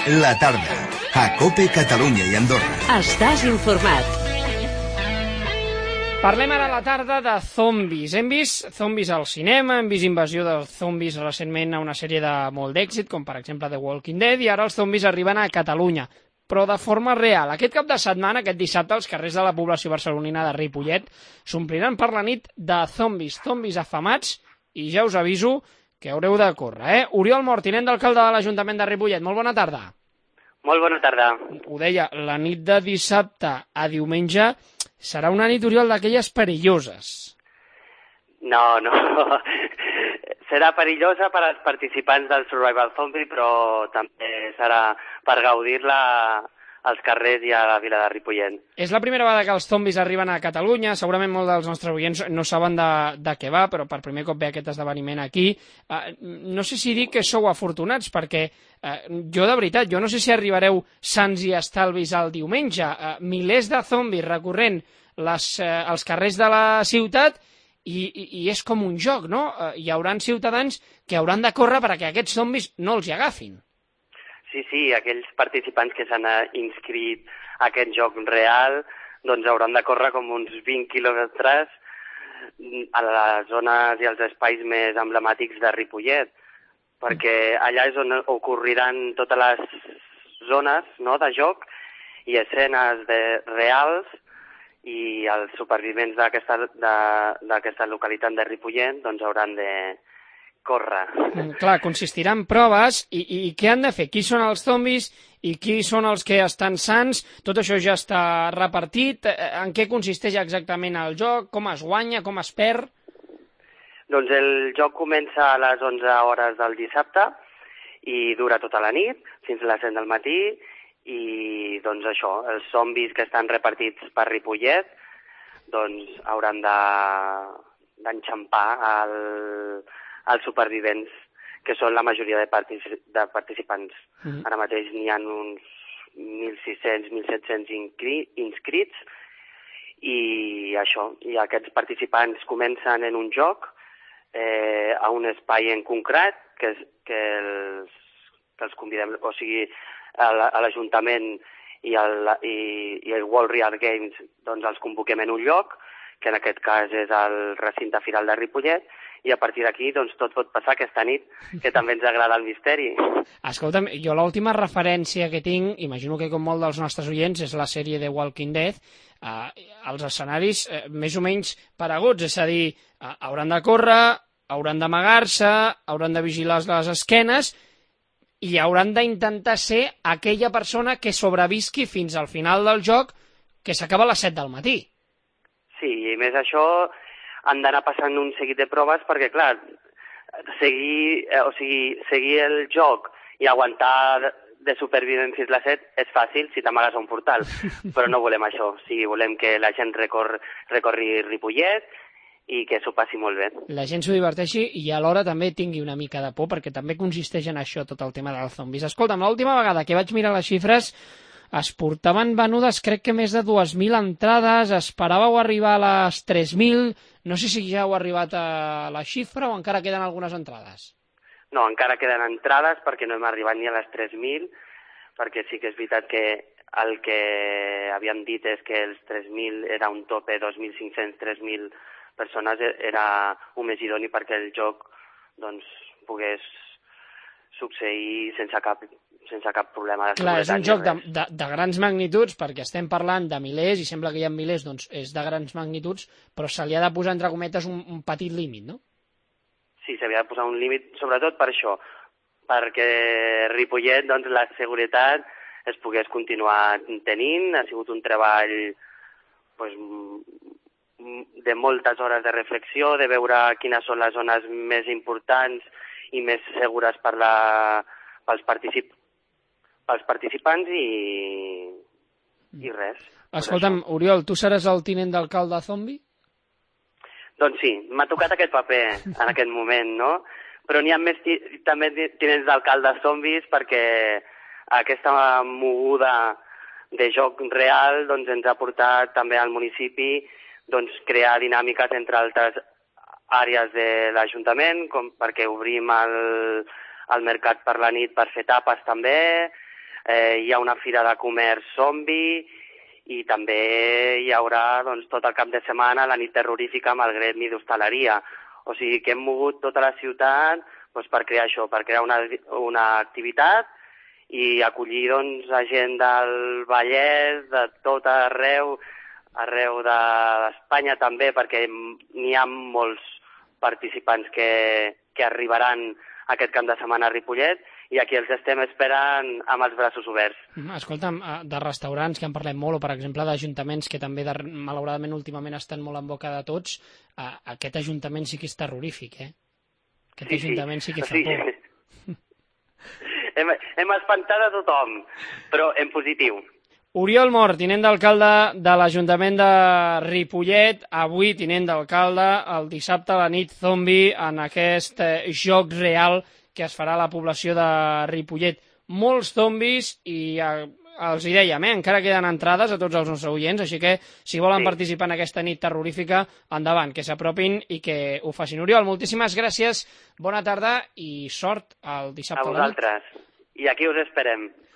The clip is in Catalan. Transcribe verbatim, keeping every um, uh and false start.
La tarda, a COPE Catalunya i Andorra. Estàs informat. Parlem ara a la tarda de zombis. Hem vist zombis al cinema, hem vist invasió de zombis recentment a una sèrie de molt d'èxit, com per exemple The Walking Dead, i ara els zombis arriben a Catalunya, però de forma real. Aquest cap de setmana, aquest dissabte, els carrers de la població barcelonina de Ripollet s'ompliran per la nit de zombis, zombis afamats, i ja us aviso que haureu de córrer, eh? Oriol Mort, tinent d'alcalde de l'Ajuntament de Ripollet, molt bona tarda. Molt bona tarda. Ho deia, la nit de dissabte a diumenge serà una nit, Oriol, d'aquelles perilloses. No, no. Serà perillosa per als participants del Survival Zombie, però també serà per gaudir-la als carrers i a la vila de Ripollet. És la primera vegada que els zombis arriben a Catalunya, segurament molts dels nostres oients no saben de, de què va, però per primer cop ve aquest esdeveniment aquí. Uh, no sé si dir que sou afortunats, perquè uh, jo de veritat, jo no sé si arribareu sans i estalvis al diumenge. Uh, milers de zombis recorrent les, uh, els carrers de la ciutat i, i, i és com un joc, no? Uh, hi haurà ciutadans que hauran de córrer perquè aquests zombis no els hi agafin. Sí, sí, aquells participants que s'han inscrit a aquest joc real doncs hauran de córrer com uns vint quilòmetres a les zones i als espais més emblemàtics de Ripollet, perquè allà és on ocorriran totes les zones, no, de joc i escenes de, reals, i els supervivents d'aquesta d'aquesta localitat de Ripollet doncs hauran de córrer. Mm, clar, consistirà en proves i, i, i què han de fer? Qui són els zombis i qui són els que estan sans? Tot això ja està repartit. En què consisteix exactament el joc? Com es guanya? Com es perd? Doncs el joc comença a les onze hores del dissabte i dura tota la nit, fins a les set del matí, i doncs això, els zombis que estan repartits per Ripollet doncs hauran de d'enxampar el els supervivents, que són la majoria de, particip de participants. Mm-hmm. Ara mateix n'hi ha uns mil sis-cents, mil set-cents inscrits, i això, i aquests participants comencen en un joc, eh, a un espai en concret, que, que, els, que els convidem, o sigui, a l'Ajuntament i, el, i, i el World Real Games doncs els convoquem en un lloc, que en aquest cas és el recinte firal de Ripollet, i a partir d'aquí doncs, tot pot passar aquesta nit, que també ens agrada el misteri. Escolta'm, jo l'última referència que tinc, imagino que com molt dels nostres oients, és la sèrie The Walking Dead, eh, els escenaris eh, més o menys pareguts, és a dir, eh, hauran de córrer, hauran d'amagar-se, hauran de vigilar les esquenes i hauran d'intentar ser aquella persona que sobrevisqui fins al final del joc, que s'acaba a les set del matí. Sí, i més això han d'anar passant un seguit de proves perquè, clar, seguir, eh, o sigui, seguir el joc i aguantar de supervivent fins les set és fàcil si t'amagues a un portal, però no volem això. O sigui, volem que la gent recor, recorri Ripollet i que s'ho passi molt bé. La gent s'ho diverteixi i alhora també tingui una mica de por, perquè també consisteix en això tot el tema dels zombis. Escolta'm, l'última vegada que vaig mirar les xifres es portaven venudes, crec que més de dues mil entrades, esperàveu arribar a les tres mil, no sé si ja heu arribat a la xifra o encara queden algunes entrades. No, encara queden entrades perquè no hem arribat ni a les tres mil, perquè sí que és veritat que el que havíem dit és que els tres mil era un tope, dos mil cinc-cents a tres mil persones era un més idoni perquè el joc doncs, pogués succeir sense cap sense cap problema de seguretat. Clar, és un joc de, de, de, de grans magnituds, perquè estem parlant de milers, i sembla que hi ha milers, doncs és de grans magnituds, però se li ha de posar, entre cometes, un, un petit límit, no? Sí, s'havia de posar un límit, sobretot per això, perquè Ripollet, doncs, la seguretat es pogués continuar tenint. Ha sigut un treball pues, de moltes hores de reflexió, de veure quines són les zones més importants i més segures per la, pels participants, pels participants i, i res. Escolta'm, Oriol, tu seràs el tinent d'alcalde zombi? Doncs sí, m'ha tocat aquest paper en aquest moment, no? Però n'hi ha més també tinents d'alcaldes zombis perquè aquesta moguda de joc real doncs, ens ha portat també al municipi doncs, crear dinàmiques entre altres àrees de l'Ajuntament, com perquè obrim el, el mercat per la nit per fer tapes també. eh, hi ha una fira de comerç zombi i també hi haurà doncs, tot el cap de setmana la nit terrorífica amb el gremi d'hostaleria. O sigui que hem mogut tota la ciutat doncs, per crear això, per crear una, una activitat i acollir doncs, a gent del Vallès, de tot arreu, arreu d'Espanya també, perquè n'hi ha molts participants que, que arribaran aquest cap de setmana a Ripollet i aquí els estem esperant amb els braços oberts. Escolta'm, de restaurants que en parlem molt, o per exemple d'ajuntaments que també de, malauradament últimament estan molt en boca de tots, aquest ajuntament sí que és terrorífic, eh? Aquest sí, ajuntament sí, sí que fa sí. por. hem, hem espantat a tothom, però en positiu. Oriol Mor, tinent d'alcalde de l'Ajuntament de Ripollet, avui tinent d'alcalde, el dissabte a la nit zombi en aquest eh, joc real que es farà a la població de Ripollet. Molts zombis i eh, els hi dèiem, eh, encara queden entrades a tots els nostres oients, així que si volen sí. participar en aquesta nit terrorífica, endavant, que s'apropin i que ho facin. Oriol, moltíssimes gràcies, bona tarda i sort el dissabte a, a vosaltres. I aquí us esperem.